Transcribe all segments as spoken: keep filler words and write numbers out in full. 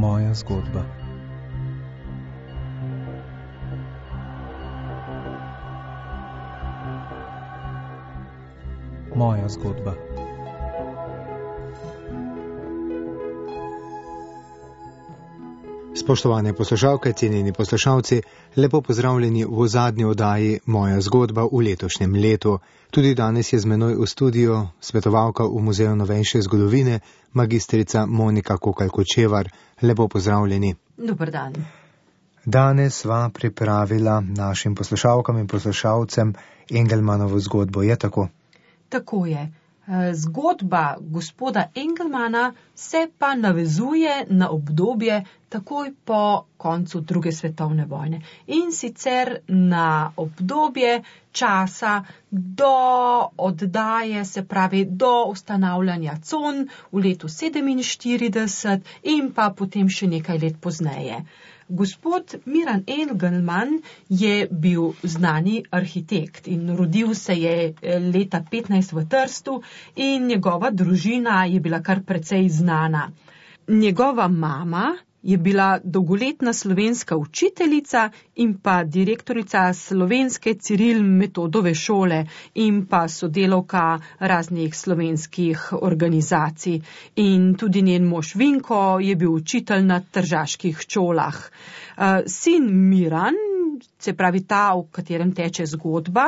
Moja zgodba. Moja zgodba. Spoštovane poslušalke, cenjeni poslušalci, lepo pozdravljeni v zadnji oddaji Moja zgodba v letošnjem letu. Tudi danes je z menoj v studiu svetovalka v Muzeju novejše zgodovine, magistrica Monika Kokalj-Kočevar. Lepo pozdravljeni. Dober dan. Danes sva pripravila našim poslušalkam in poslušalcem Engelmanovo zgodbo, je tako? Tako je. Zgodba gospoda Engelmana se pa navezuje na obdobje takoj po koncu druge svetovne vojne. In sicer na obdobje časa do oddaje, se pravi do ustanavljanja con v letu sedeminštirideset in pa potem še nekaj let pozneje. Gospod Miran Engelman je bil znani arhitekt in rodil se je leta petnajst v Trstu in njegova družina je bila kar precej znana. Njegova mama je bila dolgoletna slovenska učiteljica in pa direktorica slovenske Ciril Metodove šole in pa sodelavka raznih slovenskih organizacij. In tudi njen mož Vinko je bil učitelj na tržaških šolah. Sin Miran, se pravi ta, v katerem teče zgodba,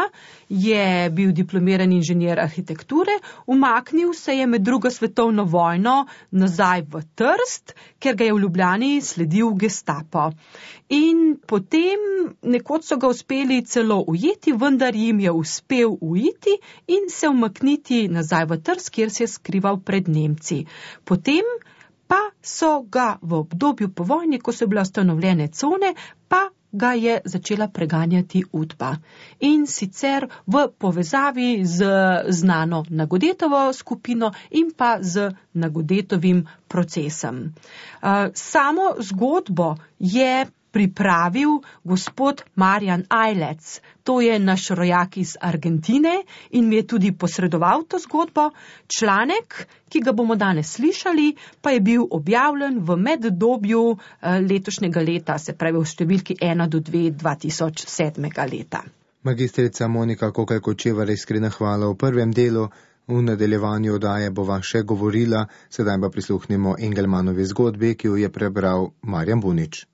je bil diplomiran inženir arhitekture, umaknil se je med drugo svetovno vojno nazaj v Trst, ker ga je v Ljubljani sledil Gestapo. In potem nekoč so ga uspeli celo ujeti, vendar jim je uspel uiti in se umakniti nazaj v Trst, kjer se je skrival pred Nemci. Potem pa so ga v obdobju po vojni, ko so bile ustanovljene cone, pa ga je začela preganjati Udba. In sicer v povezavi z znano Nagodetovo skupino in pa z Nagodetovim procesom. Samo zgodbo je pripravil gospod Marjan Ajlec. To je naš rojak iz Argentine in mi je tudi posredoval to zgodbo. Članek, ki ga bomo danes slišali, pa je bil objavljen v meddobju letošnjega leta, se pravi v številki ena do dve dva tisoč sedmega leta. Magistrica Monika Kokalj-Kočevar, iskrena hvala v prvem delu. V nadaljevanju oddaje bova še govorila, sedaj pa prisluhnimo Engelmanovi zgodbi, ki jo je prebral Marjan Bunič.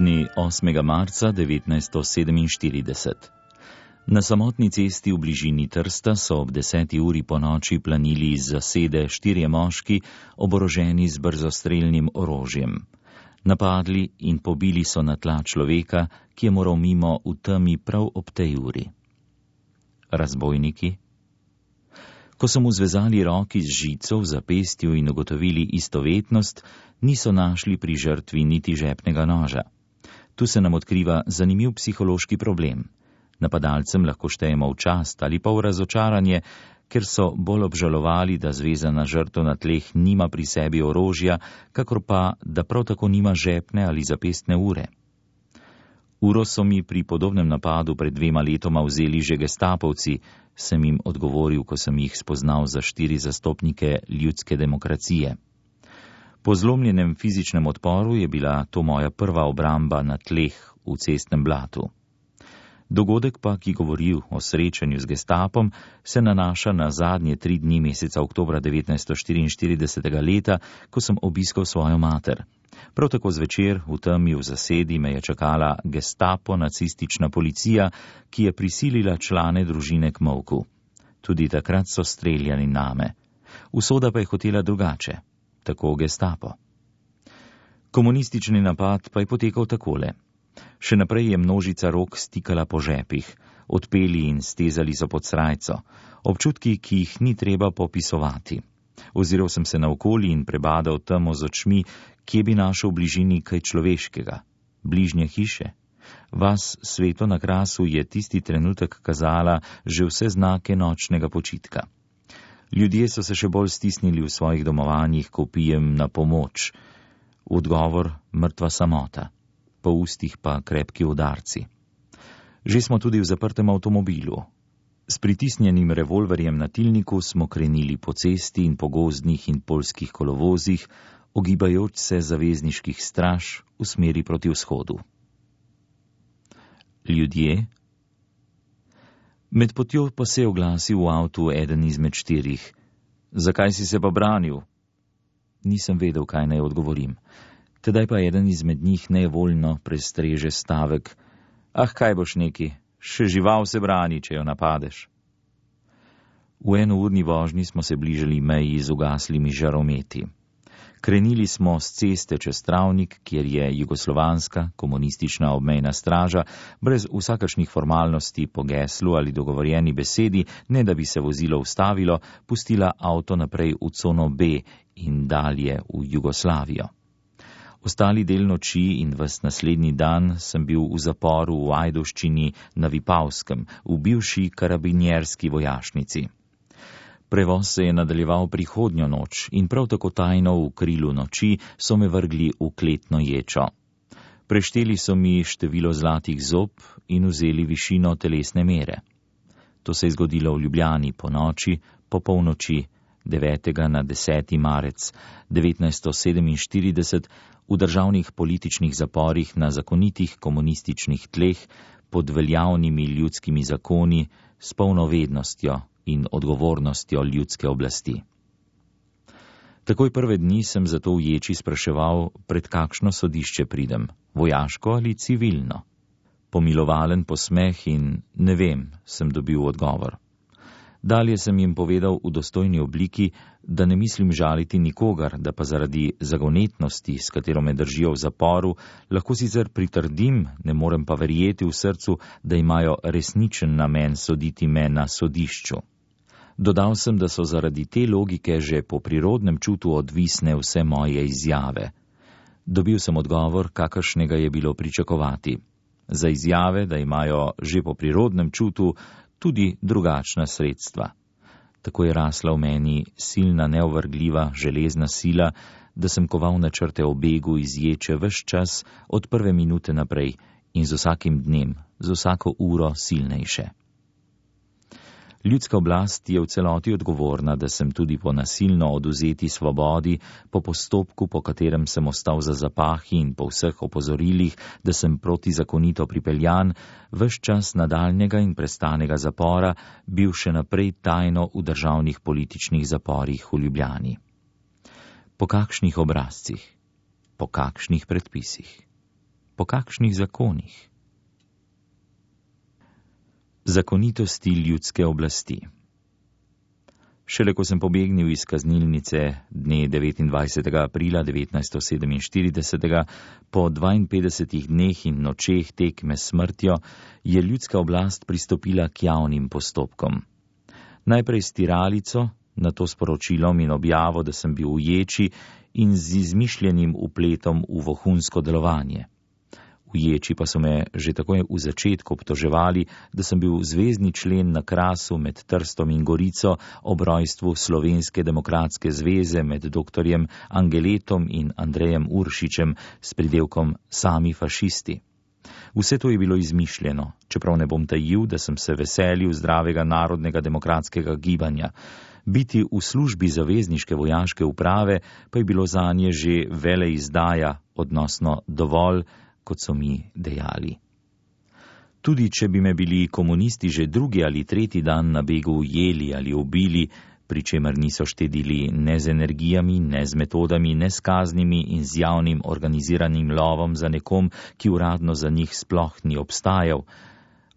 Dne osmega marca devetnajststo sedeminštirideset. Na samotni cesti v bližini Trsta so ob deseti uri po noči planili iz zasede štirje moški, oboroženi z brzostrelnim orožjem. Napadli in pobili so na tla človeka, ki je moral mimo v temi prav ob tej uri. Razbojniki? Ko so mu zvezali roki z žico v zapestju in ugotovili istovetnost, niso našli pri žrtvi niti žepnega noža. Tu se nam odkriva zanimiv psihološki problem. Napadalcem lahko štejemo v čast ali pa v razočaranje, ker so bolj obžalovali, da zvezana žrtev na tleh nima pri sebi orožja, kakor pa, da prav tako nima žepne ali zapestne ure. Uro so mi pri podobnem napadu pred dvema letoma vzeli že gestapovci, sem jim odgovoril, ko sem jih spoznal za štiri zastopnike ljudske demokracije. Po zlomljenem fizičnem odporu je bila to moja prva obramba na tleh v cestnem blatu. Dogodek pa, ki govori o srečanju z gestapom, se nanaša na zadnje tri dni meseca oktobra devetnajststo štiriinštiridesetega leta, ko sem obiskal svojo mater. Prav tako zvečer v temi v zasedi me je čakala gestapo nacistična policija, ki je prisilila člane družine k molku. Tudi takrat so streljali name. Usoda pa je hotela drugače. Tako gestapo. Komunistični napad pa je potekal takole. Še naprej je množica rok stikala po žepih, odpeli in stezali so pod srajco, občutki, ki jih ni treba popisovati. Oziral sem se naokoli in prebadal temo z očmi, kje bi našel v bližini kaj človeškega. Bližnje hiše. Vas sveto na krasu je tisti trenutek kazala že vse znake nočnega počitka. Ljudje so se še bolj stisnili v svojih domovanjih, ko pijem na pomoč. V odgovor mrtva samota, po ustih pa krepki udarci. Že smo tudi v zaprtem avtomobilu. S pritisnjenim revolverjem na tilniku smo krenili po cesti in po gozdnih in poljskih kolovozih, ogibajoč se zavezniških straž v smeri proti vzhodu. Ljudje? Med potjo pa se je oglasil v avtu eden izmed štirih. Zakaj si se pa branil? Nisem vedel, kaj naj odgovorim. Tedaj pa eden izmed njih nevoljno prestreže stavek. Ah, kaj boš neki? Še žival se brani, če jo napadeš. V enourni vožnji smo se bližali meji z ugaslimi žarometi. Krenili smo s ceste čez Travnik, kjer je jugoslovanska komunistična obmejna straža brez vsakašnih formalnosti po geslu ali dogovorjeni besedi, ne da bi se vozilo ustavilo, pustila avto naprej v cono B in dalje v Jugoslavijo. Ostali del noči in ves naslednji dan sem bil v zaporu v Ajdovščini na Vipavskem, v bivši karabinjerski vojašnici. Prevoz se je nadaljeval prihodnjo noč in prav tako tajno v krilu noči so me vrgli v kletno ječo. Prešteli so mi število zlatih zob in vzeli višino telesne mere. To se je zgodilo v Ljubljani po noči, po polnoči, devetega na deseti marec devetnajststo sedeminštirideset, v državnih političnih zaporih na zakonitih komunističnih tleh pod veljavnimi ljudskimi zakoni s polno vednostjo in odgovornostjo ljudske oblasti. Takoj prve dni sem zato v ječi spraševal, pred kakšno sodišče pridem, vojaško ali civilno. Pomilovalen posmeh in ne vem, sem dobil odgovor. Dalje sem jim povedal v dostojni obliki, da ne mislim žaliti nikogar, da pa zaradi zagonetnosti, s katero me držijo v zaporu, lahko sicer pritrdim, ne morem pa verjeti v srcu, da imajo resničen namen soditi me na sodišču. Dodal sem, da so zaradi te logike že po prirodnem čutu odvisne vse moje izjave. Dobil sem odgovor, kakršnega je bilo pričakovati. Za izjave, da imajo že po prirodnem čutu tudi drugačna sredstva. Tako je rasla v meni silna, neovrgljiva, železna sila, da sem koval načrte o begu iz ječe ves čas od prve minute naprej in z vsakim dnem, z vsako uro silnejše. Ljudska oblast je v celoti odgovorna, da sem tudi po nasilno odvzeti svobodi, po postopku, po katerem sem ostal za zapahi in po vseh opozorilih, da sem protizakonito pripeljan, ves čas nadaljnjega in prestanega zapora bil še naprej tajno v državnih političnih zaporih v Ljubljani. Po kakšnih obrazcih? Po kakšnih predpisih? Po kakšnih zakonih? Zakonitosti ljudske oblasti. Šele ko sem pobegnil iz kaznilnice dne devetindvajsetega aprila devetnajststo sedeminštirideset, po dvainpetdesetih dneh in nočeh tekme s smrtjo, je ljudska oblast pristopila k javnim postopkom. Najprej s tiralico, nato s poročilom in objavo, da sem bil v ječi in z izmišljenim vpletom v vohunsko delovanje. V ječi pa so me že takoj v začetku obtoževali, da sem bil zvezni člen na Krasu med Trstom in Gorico ob rojstvu Slovenske demokratske zveze med doktorjem Angeletom in Andrejem Uršičem s pridevkom sami fašisti. Vse to je bilo izmišljeno, čeprav ne bom tajil, da sem se veselil zdravega narodnega demokratskega gibanja. Biti v službi zavezniške vojaške uprave pa je bilo zanje že veleizdaja, odnosno dovolj, kot so mi dejali. Tudi če bi me bili komunisti že drugi ali tretji dan na begu ujeli ali ubili, pri čemer niso štedili ne z energijami, ne z metodami, ne s kaznimi in z javnim organiziranim lovom za nekom, ki uradno za njih sploh ni obstajal,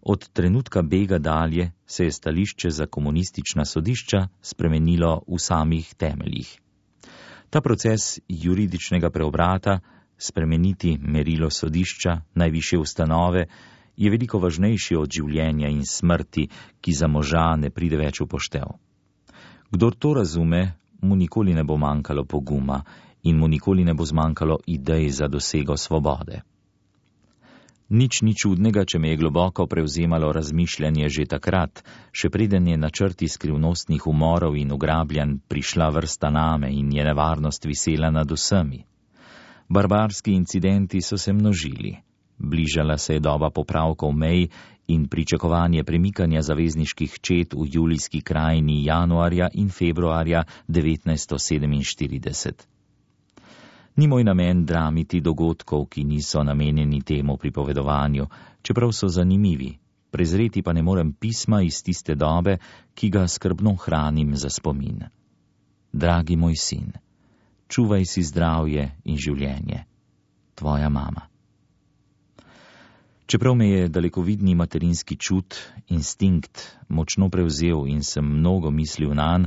od trenutka bega dalje se je stališče za komunistična sodišča spremenilo v samih temeljih. Ta proces juridičnega preobrata, spremeniti merilo sodišča, najvišje ustanove, je veliko važnejši od življenja in smrti, ki za moža ne pride več v poštev. Kdor to razume, mu nikoli ne bo manjkalo poguma in mu nikoli ne bo zmanjkalo idej za dosego svobode. Nič ni čudnega, če me je globoko prevzemalo razmišljanje že takrat, še preden je na črti skrivnostnih umorov in ugrabljanj prišla vrsta name in je nevarnost visela nad vsemi. Barbarski incidenti so se množili. Bližala se je doba popravkov mej in pričakovanje premikanja zavezniških čet v julijski krajini januarja in februarja devetnajststo sedeminštirideset. Ni moj namen dramiti dogodkov, ki niso namenjeni temu pripovedovanju, čeprav so zanimivi, prezreti pa ne morem pisma iz tiste dobe, ki ga skrbno hranim za spomin. Dragi moj sin, čuvaj si zdravje in življenje. Tvoja mama. Čeprav me je dalekovidni materinski čut, instinkt, močno prevzel in sem mnogo mislil nanj,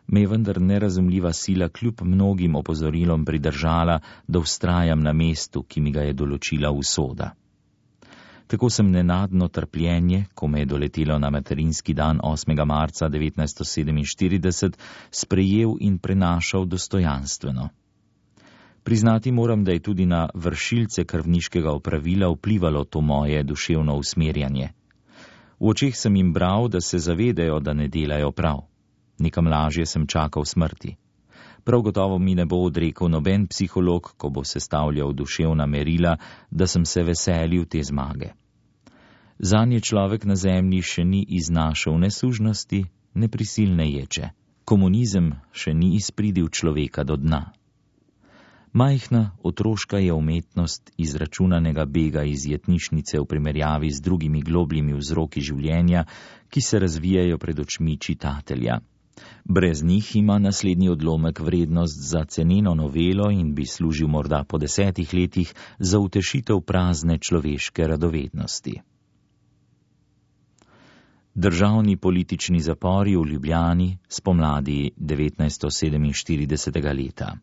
me je vendar nerazumljiva sila kljub mnogim opozorilom pridržala, da vztrajam na mestu, ki mi ga je določila usoda. Tako sem nenadno trpljenje, ko me je doletelo na materinski dan osmega marca devetnajststo sedeminštirideset, sprejel in prenašal dostojanstveno. Priznati moram, da je tudi na vršilce krvniškega opravila vplivalo to moje duševno usmerjanje. V očeh sem jim bral, da se zavedajo, da ne delajo prav. Nekam lažje sem čakal smrti. Prav gotovo mi ne bo odrekel noben psiholog, ko bo sestavljal duševna merila, da sem se veselil te zmage. Zanje človek na zemlji še ni iznašel ne sužnosti, ne prisilne ječe. Komunizem še ni izpridil človeka do dna. Majhna otroška je umetnost izračunanega bega iz jetnišnice v primerjavi z drugimi globljimi vzroki življenja, ki se razvijajo pred očmi čitatelja. Brez njih ima naslednji odlomek vrednost za ceneno novelo in bi služil morda po desetih letih za utešitev prazne človeške radovednosti. Državni politični zapori v Ljubljani spomladi devetnajststo sedeminštiridesetega leta.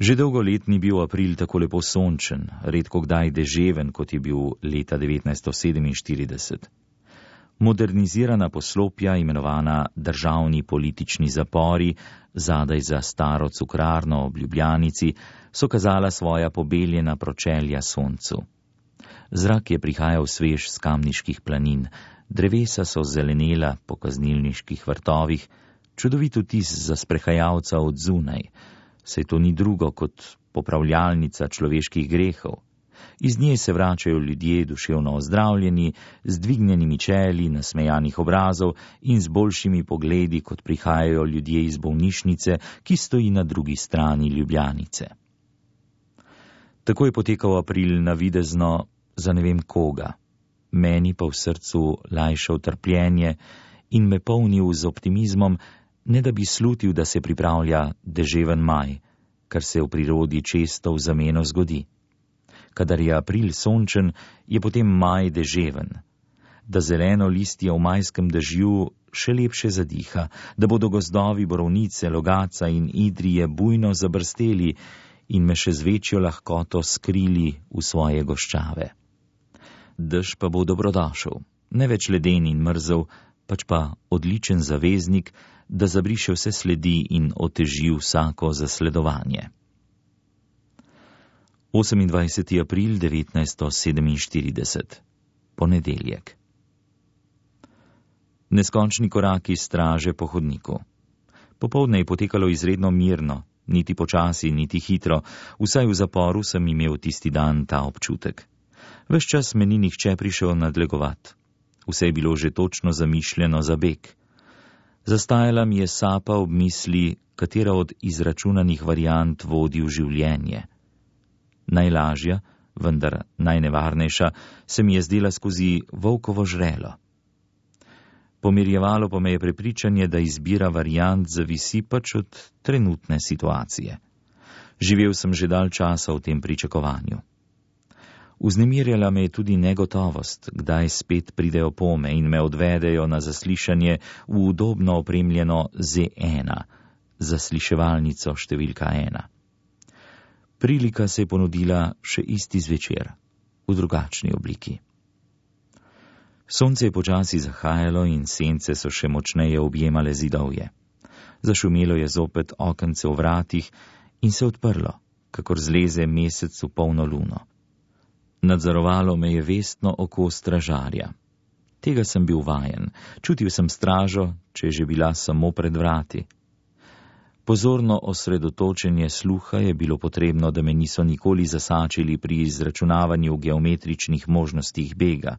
Že dolgo let ni bil april tako lepo sončen, redko kdaj deževen, kot je bil leta devetnajststo sedeminštirideset. Modernizirana poslopja, imenovana državni politični zapori, zadaj za staro cukrarno ob Ljubljanici, so kazala svoja pobeljena pročelja soncu. Zrak je prihajal svež s kamniških planin, drevesa so zelenela po kaznilniških vrtovih, čudovit vtis za sprehajalca od zunaj, saj to ni drugo kot popravljalnica človeških grehov. Iz nje se vračajo ljudje duševno ozdravljeni, z dvignjenimi čeli, nasmejanih obrazov in z boljšimi pogledi, kot prihajajo ljudje iz bolnišnice, ki stoji na drugi strani Ljubljanice. Tako je potekal april navidezno za ne vem koga, meni pa v srcu lajšal trpljenje in me polnil z optimizmom, ne da bi slutil, da se pripravlja deževen maj, kar se v prirodi često v zameno zgodi. Kadar je april sončen, je potem maj deževen. Da zeleno listje v majskem dežju še lepše zadiha, da bodo gozdovi borovnice, logaca in idrije bujno zabrsteli in me še z večjo lahkoto skrili v svoje goščave. Dež pa bo dobrodošel, ne več leden in mrzel, pač pa odličen zaveznik, da zabriše vse sledi in oteži vsako zasledovanje. osemindvajseti april devetnajststo sedeminštirideset. Ponedeljek. Neskončni koraki straže po hodniku. Popoldne je potekalo izredno mirno, niti počasi, niti hitro, vsaj v zaporu sem imel tisti dan ta občutek. Ves čas me ni nihče prišel nadlegovat. Vse je bilo že točno zamišljeno za beg. Zastajala mi je sapa ob misli, katera od izračunanih variant vodi v življenje. Najlažja, vendar najnevarnejša, se mi je zdela skozi volkovo žrelo. Pomirjevalo pa me je prepričanje, da izbira variant zavisi pač od trenutne situacije. Živel sem že dalj časa v tem pričakovanju. Vznemirjala me je tudi negotovost, kdaj spet pridejo pome in me odvedejo na zaslišanje v udobno opremljeno Z ena, zasliševalnico številka ena. Prilika se je ponudila še isti zvečer, v drugačni obliki. Sonce je počasi zahajalo in sence so še močneje objemale zidovje. Zašumelo je zopet okence v vratih in se odprlo, kakor zleze mesec v polno luno. Nadzorovalo me je vestno oko stražarja. Tega sem bil vajen, čutil sem stražo, če je že bila samo pred vrati. Pozorno osredotočenje sluha je bilo potrebno, da me niso nikoli zasačili pri izračunavanju geometričnih možnostih bega.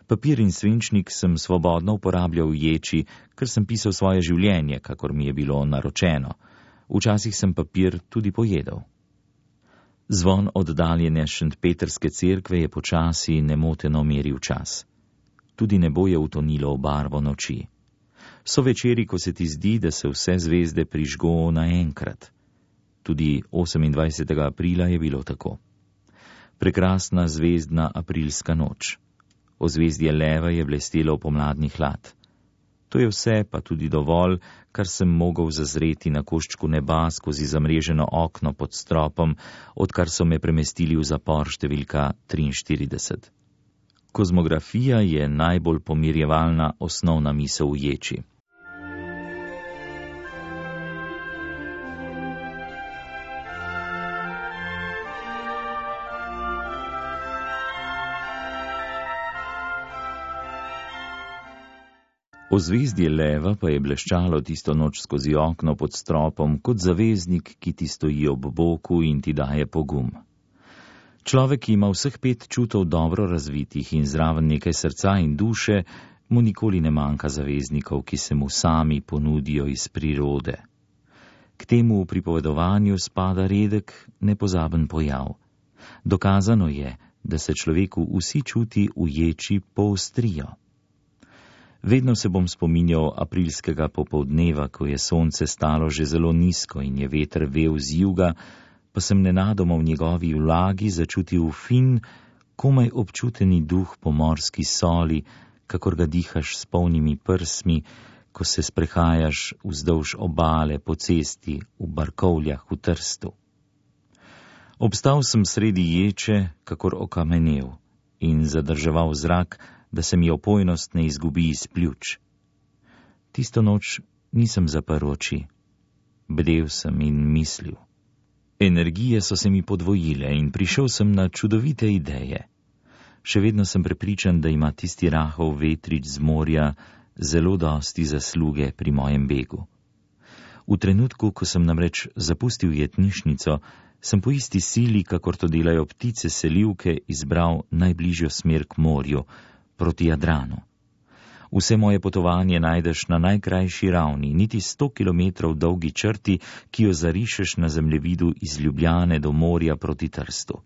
Papir in svinčnik sem svobodno uporabljal v ječi, ker sem pisal svoje življenje, kakor mi je bilo naročeno. Včasih sem papir tudi pojedel. Zvon oddaljene Šentpetrske cerkve je počasi nemoteno meril čas. Tudi nebo je utonilo v barvo noči. So večeri, ko se ti zdi, da se vse zvezde prižgo naenkrat. Tudi osemindvajsetega aprila je bilo tako. Prekrasna zvezdna aprilska noč. Ozvezdje leva je blestelo v pomladni hlad. To je vse, pa tudi dovolj, kar sem mogel zazreti na koščku neba skozi zamreženo okno pod stropom, odkar so me premestili v zapor številka triinštirideset. Kozmografija je najbolj pomirjevalna osnovna misel v ječi. Ozvezdje leva pa je bleščalo tisto noč skozi okno pod stropom kot zaveznik, ki ti stoji ob boku in ti daje pogum. Človek, ki ima vseh pet čutov dobro razvitih in zraven nekaj srca in duše, mu nikoli ne manjka zaveznikov, ki se mu sami ponudijo iz prirode. K temu v pripovedovanju spada redek, nepozaben pojav. Dokazano je, da se človeku vsi čuti v ječi poostrijo. Vedno se bom spominjal aprilskega popoldneva, ko je sonce stalo že zelo nizko in je veter vel z juga, pa sem nenadoma v njegovi vlagi začutil fin, komaj občuteni duh po morski soli, kakor ga dihaš s polnimi prsmi, ko se sprehajaš vzdolž obale po cesti v Barkovljah v Trstu. Obstal sem sredi ječe, kakor okamenel, in zadrževal zrak, da se mi opojnost ne izgubi iz pljuč. Tisto noč nisem zaprl oči. Bdel sem in mislil. Energije so se mi podvojile in prišel sem na čudovite ideje. Še vedno sem prepričan, da ima tisti rahov vetrič z morja zelo dosti zasluge pri mojem begu. V trenutku, ko sem namreč zapustil jetnišnico, sem po isti sili, kakor to delajo ptice selivke, izbral najbližjo smer k morju, proti Jadranu. Vse moje potovanje najdeš na najkrajši ravni, niti sto kilometrov dolgi črti, ki jo zarišeš na zemljevidu iz Ljubljane do morja proti Trstu.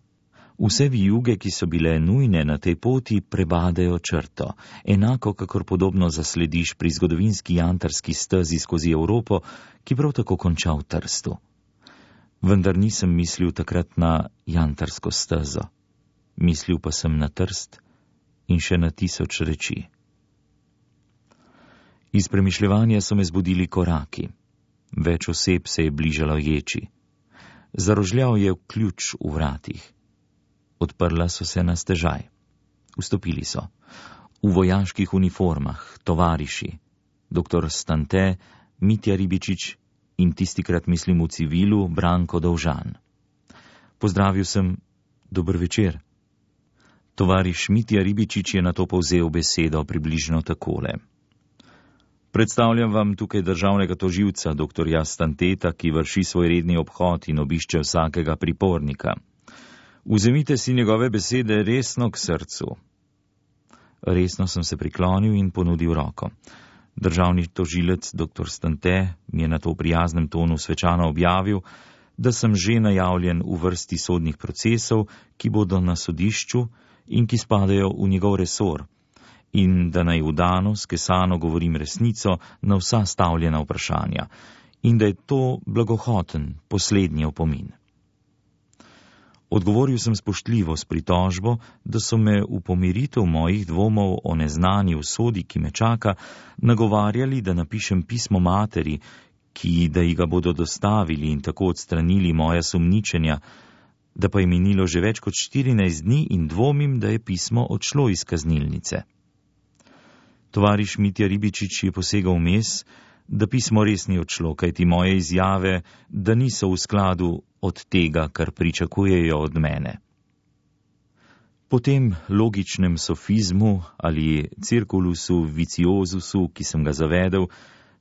Vse vijuge, ki so bile nujne na tej poti, prebadejo črto, enako kakor podobno zaslediš pri zgodovinski jantarski stezi skozi Evropo, ki prav tako konča v Trstu. Vendar nisem mislil takrat na jantarsko stezo. Mislil pa sem na Trst in še na tisoč reči. Iz premišljevanja so me zbudili koraki. Več oseb se je bližalo ječi. Zarožljal je ključ v vratih. Odprla so se na stežaj. Vstopili so. V vojaških uniformah, tovariši, doktor Stante, Mitja Ribičič in tistikrat mislim v civilu Branko Dovžan. Pozdravil sem, dober večer. Tovariš Mitja Ribičič je na to povzel besedo približno takole. Predstavljam vam tukaj državnega tožilca, doktorja Stanteta, ki vrši svoj redni obhod in obišče vsakega pripornika. Vzemite si njegove besede resno k srcu. Resno sem se priklonil in ponudil roko. Državni tožilec, doktor Stante, mi je na to v prijaznem tonu svečano objavil, da sem že najavljen v vrsti sodnih procesov, ki bodo na sodišču in ki spadajo v njegov resor, in da naj vdano, skesano govorim resnico na vsa stavljena vprašanja, in da je to blagohoten, poslednji opomin. Odgovoril sem spoštljivo s pritožbo, da so me v pomiritev mojih dvomov o neznani usodi, ki me čaka, nagovarjali, da napišem pismo materi, ki da ji ga bodo dostavili in tako odstranili moja sumničenja, da pa je minilo že več kot štirinajst dni in dvomim, da je pismo odšlo iz kaznilnice. Tovariš Mitja Ribičič je posegal vmes, da pismo res ni odšlo, kajti moje izjave, da niso v skladu od tega, kar pričakujejo od mene. Po tem logičnem sofizmu ali cirkulusu viciozusu, ki sem ga zavedel,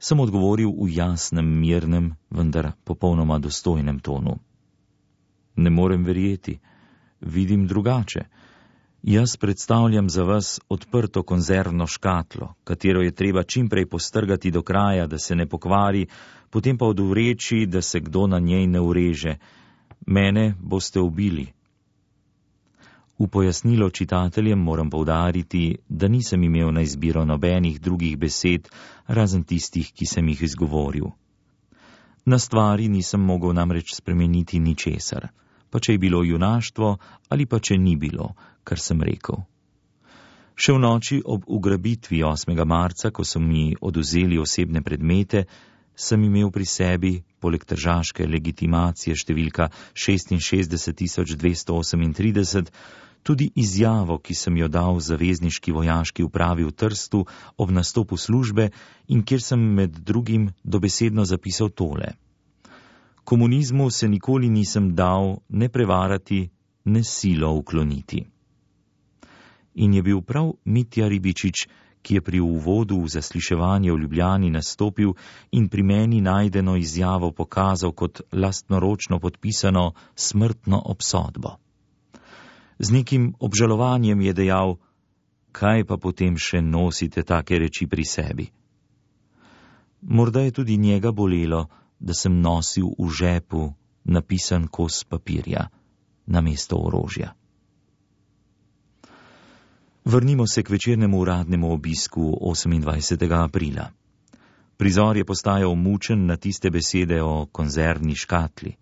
sem odgovoril v jasnem, mirnem, vendar popolnoma dostojnem tonu. Ne morem verjeti, vidim drugače. Jaz predstavljam za vas odprto konzervno škatlo, katero je treba čimprej postrgati do kraja, da se ne pokvari, potem pa odvreči, da se kdo na njej ne ureže. Mene boste ubili. V pojasnilo čitateljem moram poudariti, da nisem imel na izbiro nobenih drugih besed, razen tistih, ki sem jih izgovoril. Na stvari nisem mogel namreč spremeniti ničesar, pa če je bilo junaštvo ali pa če ni bilo, kar sem rekel. Še v noči ob ugrabitvi osmega marca, ko so mi odvzeli osebne predmete, sem imel pri sebi, poleg tržaške legitimacije številka šestinšestdeset tisoč dvesto osemintrideset, tudi izjavo, ki sem jo dal zavezniški vojaški upravi v Trstu ob nastopu službe in kjer sem med drugim dobesedno zapisal tole. Komunizmu se nikoli nisem dal ne prevarati, ne silo ukloniti. In je bil prav Mitja Ribičič, ki je pri uvodu v zasliševanje v Ljubljani nastopil in pri meni najdeno izjavo pokazal kot lastnoročno podpisano smrtno obsodbo. Z nekim obžalovanjem je dejal, kaj pa potem še nosite take reči pri sebi. Morda je tudi njega bolelo, da sem nosil v žepu napisan kos papirja namesto orožja. Vrnimo se k večernemu uradnemu obisku osemindvajsetega aprila. Prizor je postajal mučen na tiste besede o konzervni škatli.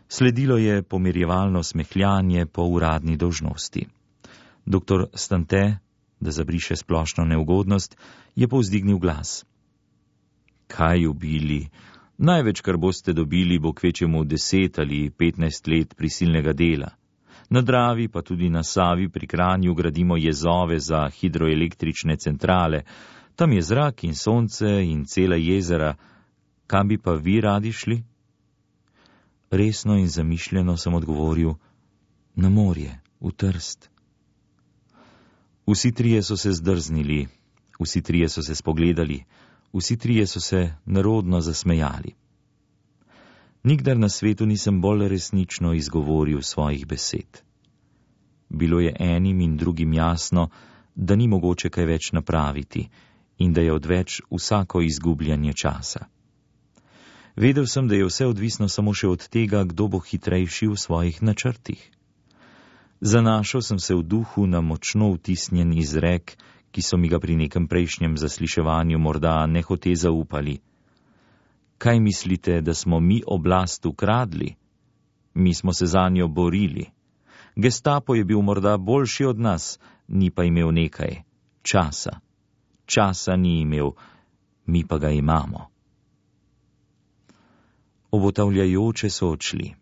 Sledilo je pomirjevalno smehljanje po uradni dolžnosti. Doktor Stante, da zabriše splošno neugodnost, je povzdignil glas. Kaj ubili? Največ, kar boste dobili, bo kvečemu deset ali petnajst let prisilnega dela. Na Dravi pa tudi na Savi pri Kranju gradimo jezove za hidroelektrične centrale. Tam je zrak in sonce in cela jezera. Kam bi pa vi radi šli? Resno in zamišljeno sem odgovoril, na morje, v Trst. Vsi trije so se zdrznili, vsi trije so se spogledali, vsi trije so se nerodno zasmejali. Nikdar na svetu nisem bolj resnično izgovoril svojih besed. Bilo je enim in drugim jasno, da ni mogoče kaj več napraviti in da je odveč vsako izgubljanje časa. Vedel sem, da je vse odvisno samo še od tega, kdo bo hitrejši v svojih načrtih. Zanašal sem se v duhu na močno vtisnjen izrek, ki so mi ga pri nekem prejšnjem zasliševanju morda nehote zaupali. Kaj mislite, da smo mi oblast ukradli? Mi smo se zanjo borili. Gestapo je bil morda boljši od nas, ni pa imel nekaj časa. Časa ni imel, mi pa ga imamo. Obotavljajoče so odšli.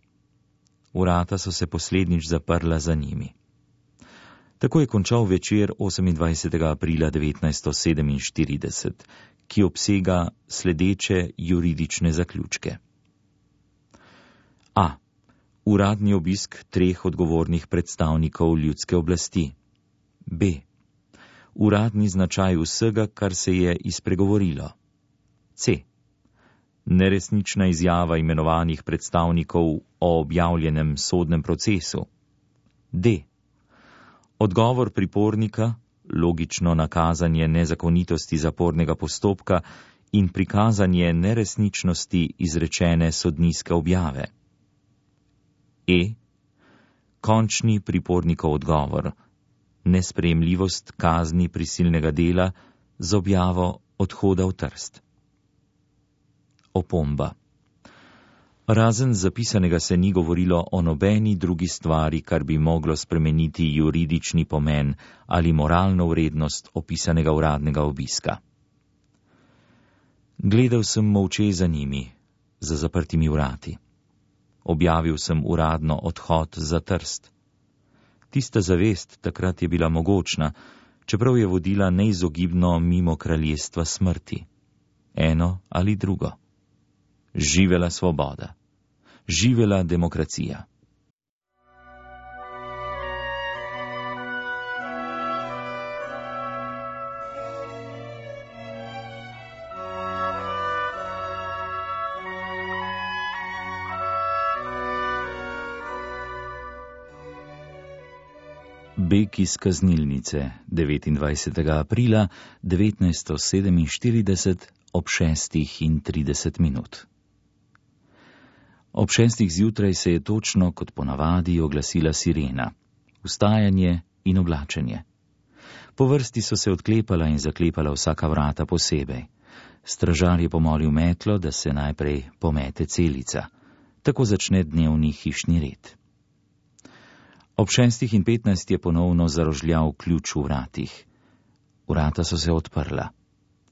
Vrata so se poslednjič zaprla za njimi. Tako je končal večer osemindvajsetega aprila devetnajststo sedeminštirideset, ki obsega sledeče juridične zaključke. A. Uradni obisk treh odgovornih predstavnikov ljudske oblasti. B. Uradni značaj vsega, kar se je izpregovorilo. C. Neresnična izjava imenovanih predstavnikov o objavljenem sodnem procesu. D. Odgovor pripornika, logično nakazanje nezakonitosti zapornega postopka in prikazanje neresničnosti izrečene sodniške objave. E. Končni pripornikov odgovor, nesprejemljivost kazni prisilnega dela z objavo odhoda v Trst. Opomba. Razen zapisanega se ni govorilo o nobeni drugi stvari, kar bi moglo spremeniti juridični pomen ali moralno vrednost opisanega uradnega obiska. Gledal sem molče za njimi, za zaprtimi vrati. Objavil sem uradno odhod za Trst. Tista zavest takrat je bila mogočna, čeprav je vodila neizogibno mimo kraljestva smrti. Eno ali drugo. Živela svoboda. Živela demokracija. Pobeg iz kaznilnice devetindvajsetega aprila devetnajststo sedeminštirideset ob šestih in trideset minut. Ob šestih zjutraj se je točno kot ponavadi oglasila sirena, vstajanje in oblačenje. Po vrsti so se odklepala in zaklepala vsaka vrata posebej. Stražar je pomolil metlo, da se najprej pomete celica. Tako začne dnevni hišni red. Ob šestih in petnajst je ponovno zarožljal ključ v vratih. Vrata so se odprla.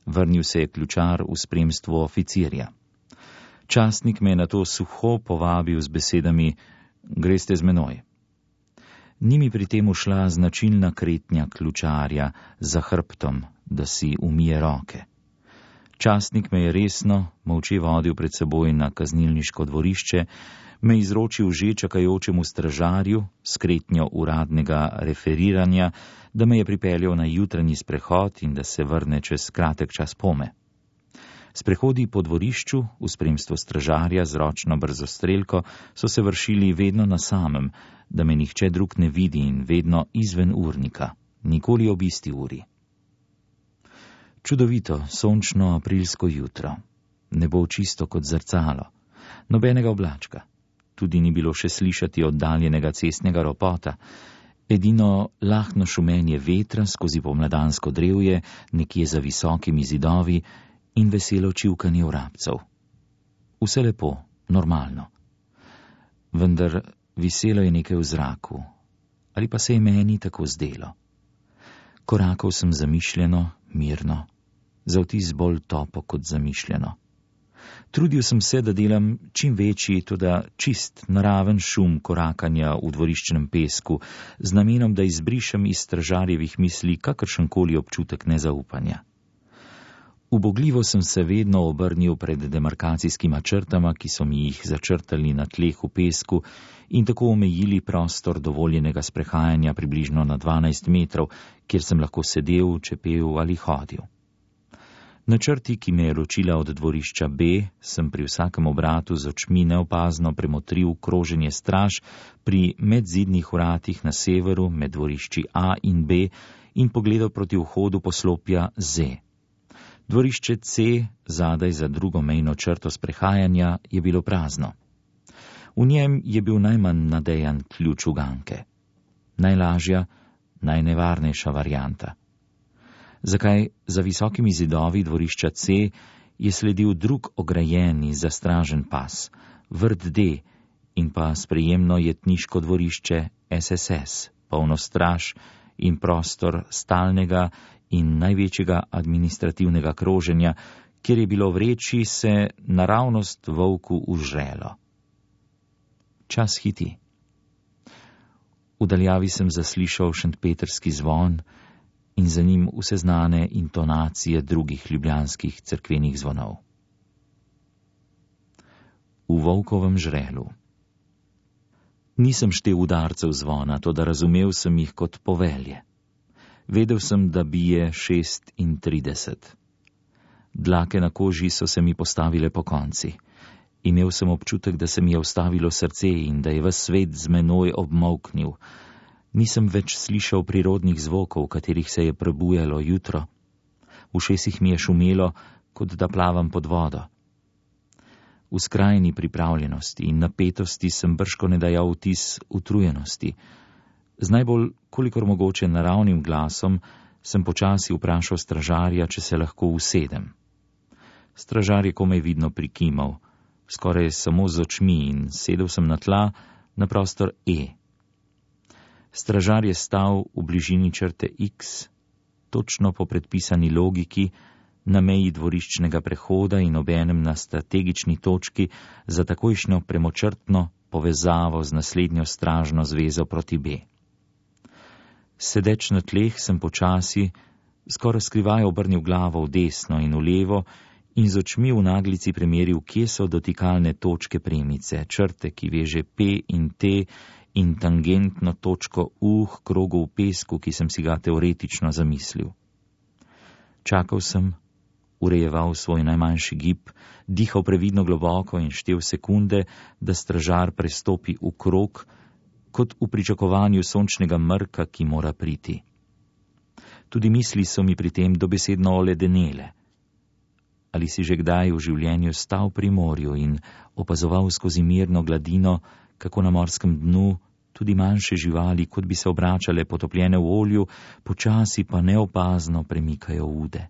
Vrnil se je ključar v spremstvu oficirja. Častnik me je nato suho povabil z besedami: greste z menoj. Ni mi pri tem ušla značilna kretnja ključarja za hrbtom, da si umije roke. Častnik me je resno, molče vodil pred seboj na kaznilniško dvorišče, me izročil že čakajočemu stražarju s kretnjo uradnega referiranja, da me je pripeljal na jutranji sprehod in da se vrne čez kratek čas pome. Sprehodi po dvorišču v spremstvu stražarja z ročno brzostrelko so se vršili vedno na samem, da me nihče drug ne vidi, in vedno izven urnika, nikoli ob isti uri. Čudovito, sončno aprilsko jutro. Nebo čisto kot zrcalo. Nobenega oblačka. Tudi ni bilo še slišati oddaljenega cestnega ropota. Edino lahno šumenje vetra skozi pomladansko drevje, nekje za visokimi zidovi, in veselo čivkanje vrabcev. Vse lepo, normalno. Vendar viselo je nekaj v zraku. Ali pa se je meni tako zdelo. Korakal sem zamišljeno, mirno, za vtis bolj topo kot zamišljeno. Trudil sem se, da delam čim večji, toda čist naraven šum korakanja v dvoriščnem pesku, z namenom, da izbrišem iz stražarjevih misli kakršenkoli občutek nezaupanja. Ubogljivo sem se vedno obrnil pred demarkacijskima črtama, ki so mi jih začrtali na tleh v pesku in tako omejili prostor dovoljenega sprehajanja približno na dvanajst metrov, kjer sem lahko sedel, čepel ali hodil. Na črti, ki me je ločila od dvorišča B, sem pri vsakem obratu z očmi neopazno premotril kroženje straž pri medzidnih vratih na severu med dvorišči A in B in pogledal proti vhodu poslopja Z. Dvorišče C, zadaj za drugo mejno črto sprehajanja, je bilo prazno. V njem je bil najmanj nadejan ključ uganke. Najlažja, najnevarnejša varianta. Zakaj za visokimi zidovi dvorišča C je sledil drug ograjen in zastražen pas, vrt D in pa sprejemno jetniško dvorišče S S S, polno straž in prostor stalnega in največjega administrativnega kroženja, kjer je bilo vreči se naravnost volku užrelo. Čas hiti. V daljavi sem zaslišal šentpetrski zvon in za njim vse znane intonacije drugih ljubljanskih cerkvenih zvonov. V volkovem žrelu. Nisem štel udarcev zvona, toda razumel sem jih kot povelje. Vedel sem, da bije šestintrideset. Dlake na koži so se mi postavile po konci. Imel sem občutek, da se mi je ustavilo srce in da je ves svet z menoj obmolknil. Nisem več slišal prirodnih zvokov, katerih se je prebujalo jutro. V ušesih mi je šumelo, kot da plavam pod vodo. V skrajni pripravljenosti in napetosti sem bržkone dajal vtis utrujenosti. Z najbolj, kolikor mogoče naravnim glasom, sem počasi vprašal stražarja, če se lahko usedem. Stražar je komaj vidno prikimal, skoraj samo z očmi, in sedel sem na tla, na prostor E. Stražar je stal v bližini črte X, točno po predpisani logiki, na meji dvoriščnega prehoda in obenem na strategični točki za takojšnjo premočrtno povezavo z naslednjo stražno zvezo proti B. Sedeč na tleh sem počasi, skoraj skrivaj obrnil glavo v desno in v levo in z očmi v naglici premeril, kje so dotikalne točke premice, črte, ki veže P in T, in tangentno točko U k krogu v pesku, ki sem si ga teoretično zamislil. Čakal sem, urejeval svoj najmanjši gib, dihal previdno globoko in štel sekunde, da stražar prestopi v krog, kot v pričakovanju sončnega mrka, ki mora priti. Tudi misli so mi pri tem dobesedno oledenele. Ali si že kdaj v življenju stal pri morju in opazoval skozi mirno gladino, kako na morskem dnu tudi manjše živali, kot bi se obračale potopljene v olju, počasi pa neopazno premikajo ude.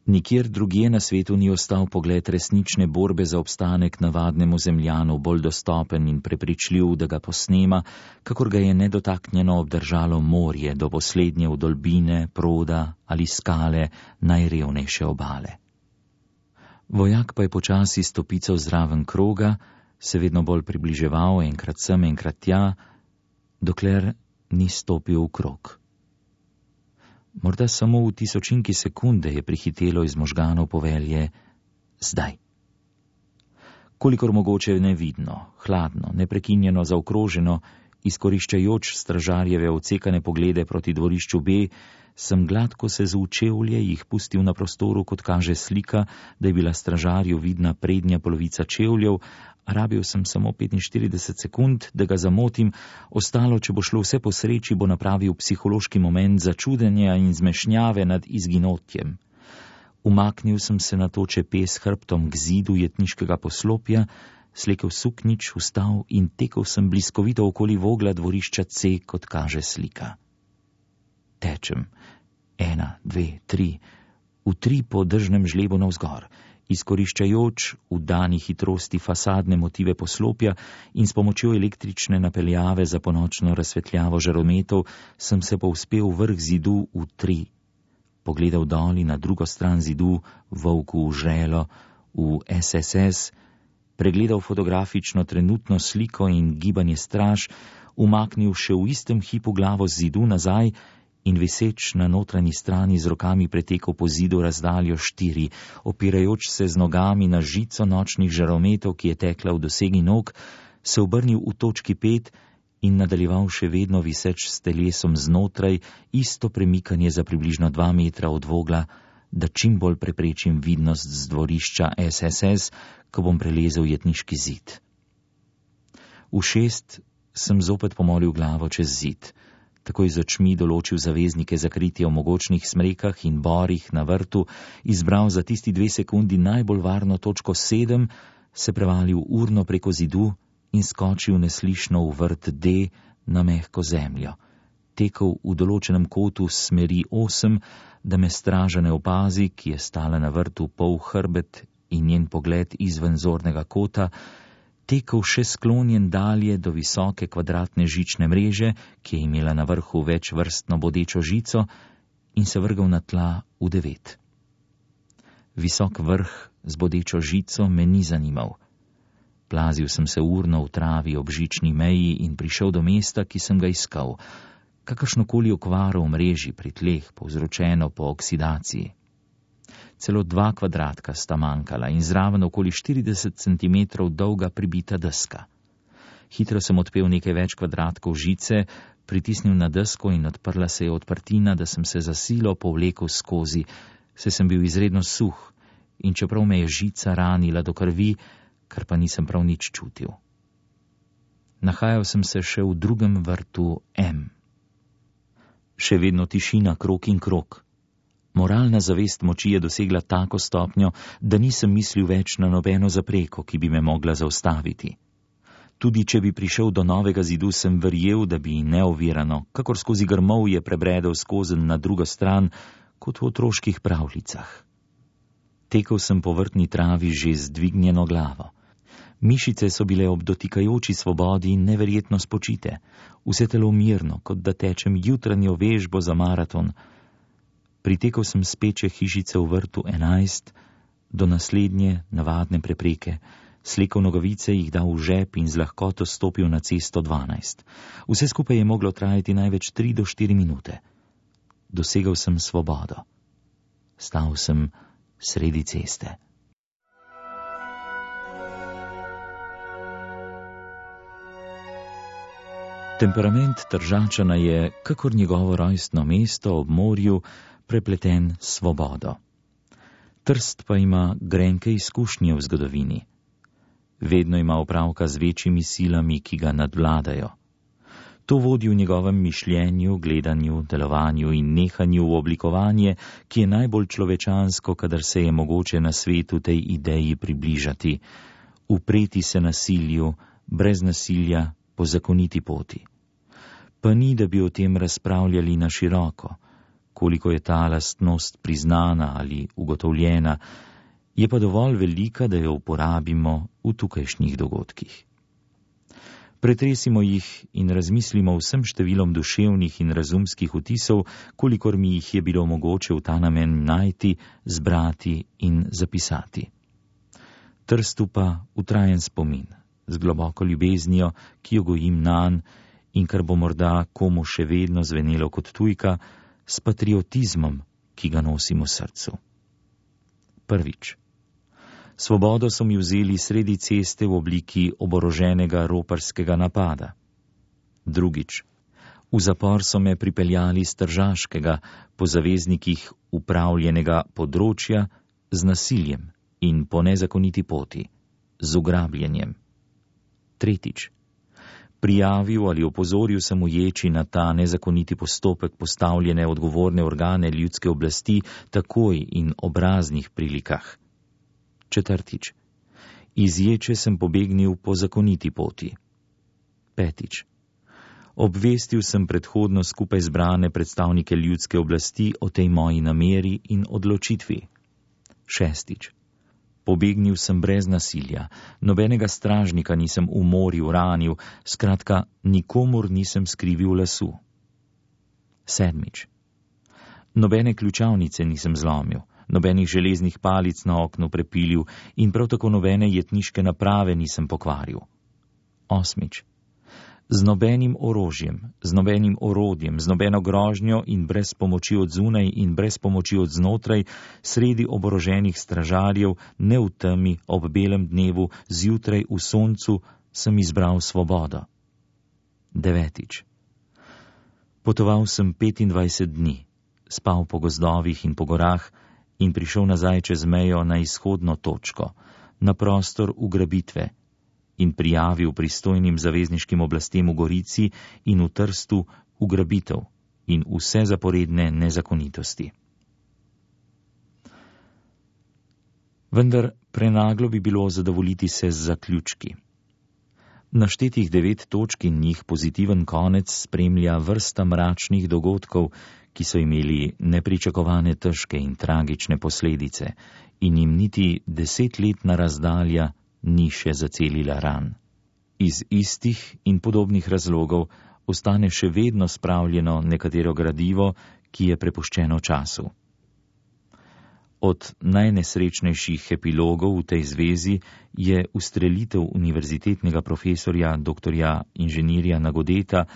Nikjer drugje na svetu ni ostal pogled resnične borbe za obstanek navadnemu zemljanu bolj dostopen in prepričljiv, da ga posnema, kakor ga je nedotaknjeno obdržalo morje do poslednje vdolbine, proda ali skale najrevnejše obale. Vojak pa je počasi stopical zraven kroga, se vedno bolj približeval, enkrat sem, enkrat tja, dokler ni stopil v krog. Morda samo v tisočinki sekunde je prihitelo iz možganov povelje zdaj. Kolikor mogoče nevidno, hladno, neprekinjeno zaokroženo, izkoriščajoč stražarjeve odsekane poglede proti dvorišču B, sem gladko se z učevlje jih pustil na prostoru, kot kaže slika, da je bila stražarju vidna prednja polovica čevljev, a rabil sem samo petinštirideset sekund, da ga zamotim, ostalo, če bo šlo vse po sreči, bo napravil psihološki moment začudenja in zmešnjave nad izginotjem. Umaknil sem se na to čepes hrbtom k zidu jetniškega poslopja, slekel suknič, vstal in tekel sem bliskovito okoli vogla dvorišča C, kot kaže slika. Tečem, ena, dve, tri, v tri po držnem žlebu navzgor, izkoriščajoč v dani hitrosti fasadne motive poslopja in s pomočjo električne napeljave za ponočno razsvetljavo žarometov sem se povzpel vrh zidu v tri. Pogledal dol in na drugo stran zidu, volku v žrelo, v S S S, pregledal fotografično trenutno sliko in gibanje straž, umaknil še v istem hipu glavo z zidu nazaj in viseč na notranji strani z rokami pretekel po zidu razdaljo štiri, opirajoč se z nogami na žico nočnih žarometov, ki je tekla v dosegi nog, se obrnil v točki pet in nadaljeval še vedno viseč s telesom znotraj isto premikanje za približno dva metra od vogla, da čim bolj preprečim vidnost z dvorišča S S S, ko bom prelezel jetniški zid. V šest sem zopet pomolil glavo čez zid, takoj z očmi določil zaveznike za kritje v mogočnih smrekah in borih na vrtu, izbral za tisti dve sekundi najbolj varno točko sedem, se prevalil urno preko zidu in skočil neslišno v vrt D na mehko zemljo. Tekel v določenem kotu s smeri osem, da me straža ne opazi, ki je stala na vrtu pol hrbet in njen pogled izven zornega kota, tekel še sklonjen dalje do visoke kvadratne žične mreže, ki je imela na vrhu večvrstno bodečo žico, in se vrgal na tla v devet. Visok vrh z bodečo žico me ni zanimal. Plazil sem se urno v travi ob žični meji in prišel do mesta, ki sem ga iskal, kakršnokoli okvaro v mreži pri tleh, povzročeno po oksidaciji. Celo dva kvadratka sta manjkala in zraven okoli štirideset centimetrov dolga pribita deska. Hitro sem odpel nekaj več kvadratkov žice, pritisnil na desko in odprla se je odprtina, da sem se za silo povlekel skozi, saj sem bil izredno suh in čeprav me je žica ranila do krvi, kar pa nisem prav nič čutil. Nahajal sem se še v drugem vrtu M. Še vedno tišina, krog in krog. Moralna zavest moči je dosegla tako stopnjo, da nisem mislil več na nobeno zapreko, ki bi me mogla zaustaviti. Tudi če bi prišel do novega zidu, sem verjel, da bi neovirano, kakor skozi grmovje prebredel skozenj na drugo stran, kot v otroških pravljicah. Tekel sem po vrtni travi že z dvignjeno glavo. Mišice so bile ob dotikajoči svobodi neverjetno spočite, vse telo mirno, kot da tečem jutranjo vežbo za maraton. Pritekel sem speče hišice v vrtu enajst do naslednje navadne prepreke, slekel nogavice, jih dal v žep in z lahkoto stopil na cesto dvanajst. Vse skupaj je moglo trajati največ tri do štiri minute. Dosegel sem svobodo. Stal sem sredi ceste. Temperament Tržačana je, kakor njegovo rojstno mesto ob morju, prepleten s svobodo. Trst pa ima grenke izkušnje v zgodovini. Vedno ima opravka z večjimi silami, ki ga nadvladajo. To vodi v njegovem mišljenju, gledanju, delovanju in nehanju v oblikovanje, ki je najbolj človečansko, kadar se je mogoče na svetu tej ideji približati, upreti se nasilju, brez nasilja, po zakoniti poti. Pa ni, da bi o tem razpravljali na široko, koliko je ta lastnost priznana ali ugotovljena, je pa dovolj velika, da jo uporabimo v tukajšnjih dogodkih. Pretresimo jih in razmislimo vsem številom duševnih in razumskih vtisov, kolikor mi jih je bilo mogoče v ta namen najti, zbrati in zapisati. Trstu pa utrajen spomin, z globoko ljubeznijo, ki jo gojim nanj in kar bo morda komu še vedno zvenelo kot tujka, s patriotizmom, ki ga nosim v srcu. Prvič. Svobodo so mi vzeli sredi ceste v obliki oboroženega roparskega napada. Drugič. V zapor so me pripeljali s Tržaškega, po zaveznikih upravljenega področja, z nasiljem in po nezakoniti poti, z ugrabljenjem. Tretjič. Prijavil ali opozoril sem uječi na ta nezakoniti postopek postavljene odgovorne organe ljudske oblasti takoj in ob raznih prilikah. Četrtič. Iz ječe sem pobegnil po zakoniti poti. Petič. Obvestil sem predhodno skupaj zbrane predstavnike ljudske oblasti o tej moji nameri in odločitvi. Šestič. Pobegnil sem brez nasilja, nobenega stražnika nisem umoril, ranil, skratka, nikomur nisem skrivil lasu. Sedmič. Nobene ključavnice nisem zlomil, nobenih železnih palic na oknu prepilil in prav tako nobene jetniške naprave nisem pokvaril. Osmič. Z nobenim orožjem, z nobenim orodjem, z nobeno grožnjo in brez pomoči od zunaj in brez pomoči od znotraj, sredi oboroženih stražarjev, ne v temi, ob belem dnevu, zjutraj v soncu, sem izbral svobodo. Devetič. Potoval sem petindvajset dni, spal po gozdovih in po gorah in prišel nazaj čez mejo na izhodno točko, na prostor ugrabitve, in prijavil pristojnim zavezniškim oblastem v Gorici in v Trstu ugrabitev in vse zaporedne nezakonitosti. Vendar prenaglo bi bilo zadovoljiti se z zaključki. Naštetih devet točk in njih pozitiven konec spremlja vrsta mračnih dogodkov, ki so imeli nepričakovane težke in tragične posledice in jim niti desetletna razdalja ni še zacelila ran. Iz istih in podobnih razlogov ostane še vedno spravljeno nekatero gradivo, ki je prepuščeno času. Od najnesrečnejših epilogov v tej zvezi je ustrelitev univerzitetnega profesorja doktorja inženirja Nagodeta,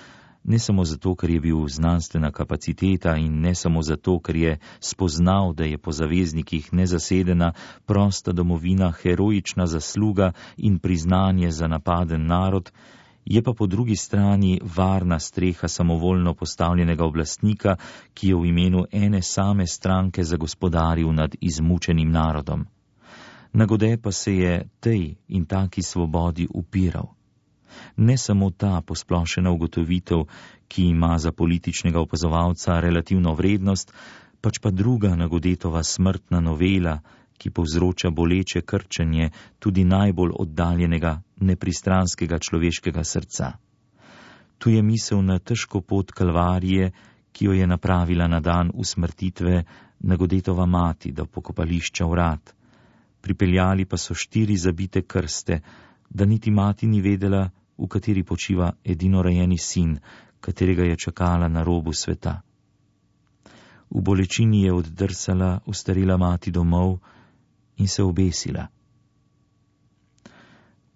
ne samo zato, ker je bil znanstvena kapaciteta in ne samo zato, ker je spoznal, da je po zaveznikih nezasedena prosta domovina heroična zasluga in priznanje za napaden narod, je pa po drugi strani varna streha samovoljno postavljenega oblastnika, ki je v imenu ene same stranke zagospodaril nad izmučenim narodom. Nagode pa se je tej in taki svobodi upiral. Ne samo ta posplošena ugotovitev, ki ima za političnega opazovalca relativno vrednost, pač pa druga Nagodetova smrtna novela, ki povzroča boleče krčenje tudi najbolj oddaljenega, nepristranskega človeškega srca. Tu je misel na težko pot kalvarije, ki jo je napravila na dan usmrtitve Nagodetova mati do pokopališča Vrat. Pripeljali pa so štiri zabite krste, da niti mati ni vedela, v kateri počiva edinorojeni sin, katerega je čakala na robu sveta. V bolečini je oddrsala ostarela mati domov in se obesila.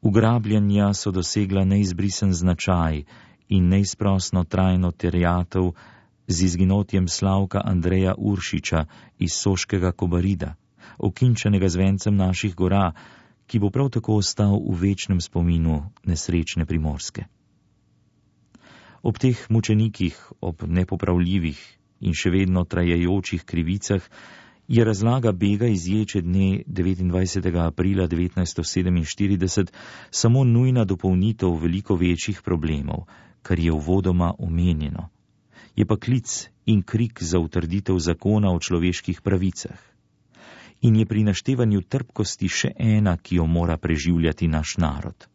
Ugrabljanja so dosegla neizbrisen značaj in neizprosno trajno terjatev z izginotjem Slavka Andreja Uršiča iz Soškega Kobarida, okinčenega z vencem naših gora, ki bo prav tako ostal v večnem spominu nesrečne Primorske. Ob teh mučenikih, ob nepopravljivih in še vedno trajajočih krivicah, je razlaga bega iz ječe dne devetindvajsetega aprila devetnajststo sedeminštirideset samo nujna dopolnitev veliko večjih problemov, kar je uvodoma omenjeno. Je pa klic in krik za utrditev zakona o človeških pravicah. In je pri naštevanju trpkosti še ena, ki jo mora preživljati naš narod.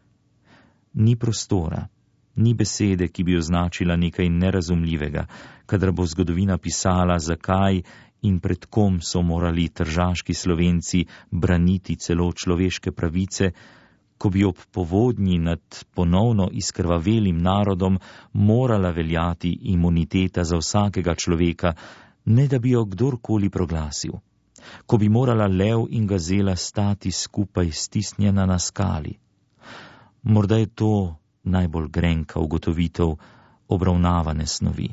Ni prostora, ni besede, ki bi označila nekaj nerazumljivega, kadar bo zgodovina pisala, zakaj in pred kom so morali tržaški Slovenci braniti celo človeške pravice, ko bi ob povodnji nad ponovno izkrvavelim narodom morala veljati imuniteta za vsakega človeka, ne da bi jo kdorkoli proglasil, ko bi morala lev in gazela stati skupaj stisnjena na skali. Morda je to najbolj grenka ugotovitev obravnavane snovi.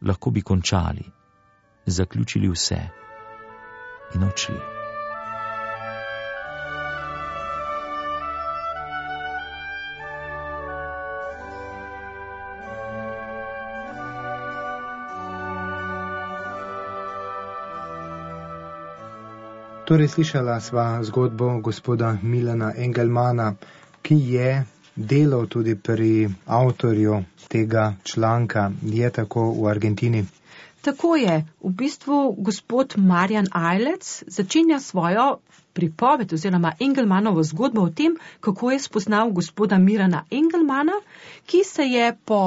Lahko bi končali, zaključili vse in odšli. Torej slišala sva zgodbo gospoda Milana Engelmana, ki je delal tudi pri avtorju tega članka. Je tako v Argentini? Tako je. V bistvu gospod Marjan Ajlec začenja svojo pripoved oziroma Engelmanovo zgodbo o tem, kako je spoznal gospoda Milana Engelmana, ki se je po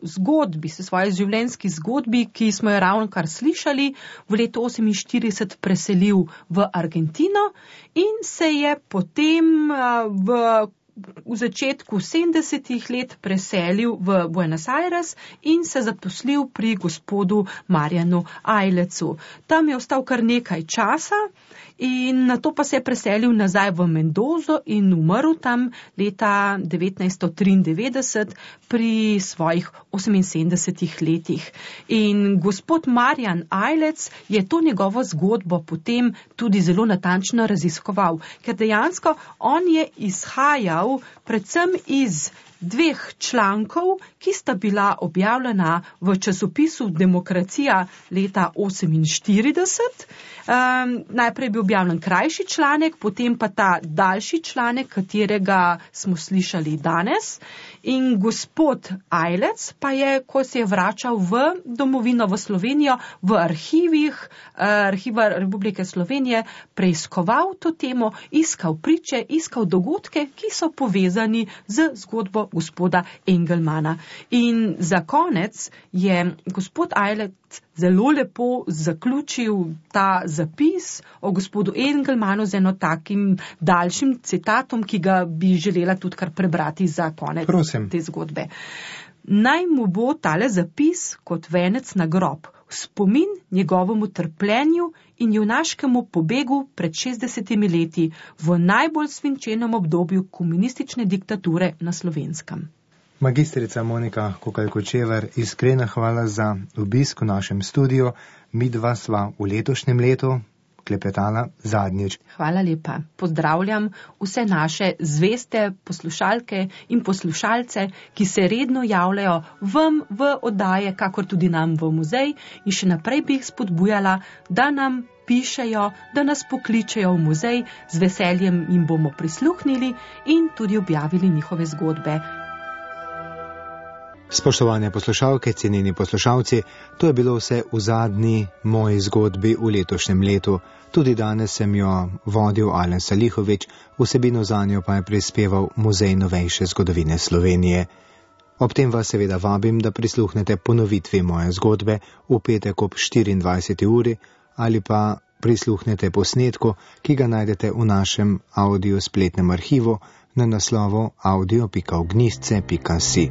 zgodbi, se svoje življenjski zgodbi, ki smo jo ravno kar slišali, v letu oseminštirideset preselil v Argentino in se je potem v v začetku sedemdesetih let preselil v Buenos Aires in se zaposlil pri gospodu Marjanu Ajlecu. Tam je ostal kar nekaj časa in nato pa se je preselil nazaj v Mendozo in umrl tam leta devetnajststo triindevetdeset pri svojih oseminsedemdesetih letih. In gospod Marjan Ajlec je to njegovo zgodbo potem tudi zelo natančno raziskoval, ker dejansko on je izhajal predvsem iz dveh člankov, ki sta bila objavljena v časopisu Demokracija leta oseminštirideset. Um, najprej je bil objavljen krajši članek, potem pa ta daljši članek, katerega smo slišali danes. In gospod Ajlec pa je, ko se je vračal v domovino, v Slovenijo, v arhivih uh, Arhiva Republike Slovenije, preiskoval to temo, iskal priče, iskal dogodke, ki so povezani z zgodbo gospoda Engelmana. In za konec je gospod Ajlec zelo lepo zaključil ta zapis o gospodu Engelmanu z eno takim daljšim citatom, ki ga bi želela tudi kar prebrati za konec Prosim. te zgodbe. Naj mu bo tale zapis kot venec na grob, spomin njegovemu trpljenju in junaškemu pobegu pred šestdesetimi leti v najbolj svinčenem obdobju komunistične diktature na Slovenskem. Magistrica Monika Kokalj-Kočevar, iskrena hvala za obisk v našem studiu. Midva sva v letošnjem letu klepetala zadnjič. Hvala lepa. Pozdravljam vse naše zveste poslušalke in poslušalce, ki se redno javljajo vam v oddaje, kakor tudi nam v muzej, in še naprej bi jih spodbujala, da nam pišejo, da nas pokličejo v muzej, z veseljem jim bomo prisluhnili in tudi objavili njihove zgodbe. Spoštovane poslušalke, cenjeni poslušalci, to je bilo vse v zadnji moji zgodbi v letošnjem letu. Tudi danes sem jo vodil Alen Salihovič, vsebino zanjo pa je prispeval Muzej novejše zgodovine Slovenije. Ob tem vas seveda vabim, da prisluhnete ponovitvi moje zgodbe v petek ob štiriindvajseti uri ali pa prisluhnete posnetku, ki ga najdete v našem audio spletnem arhivu na naslovu audio pika ognjišče pika si.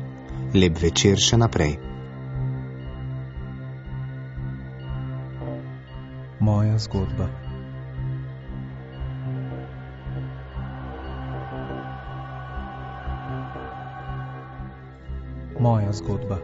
Lep večer še naprej. Moja zgodba. Moja zgodba.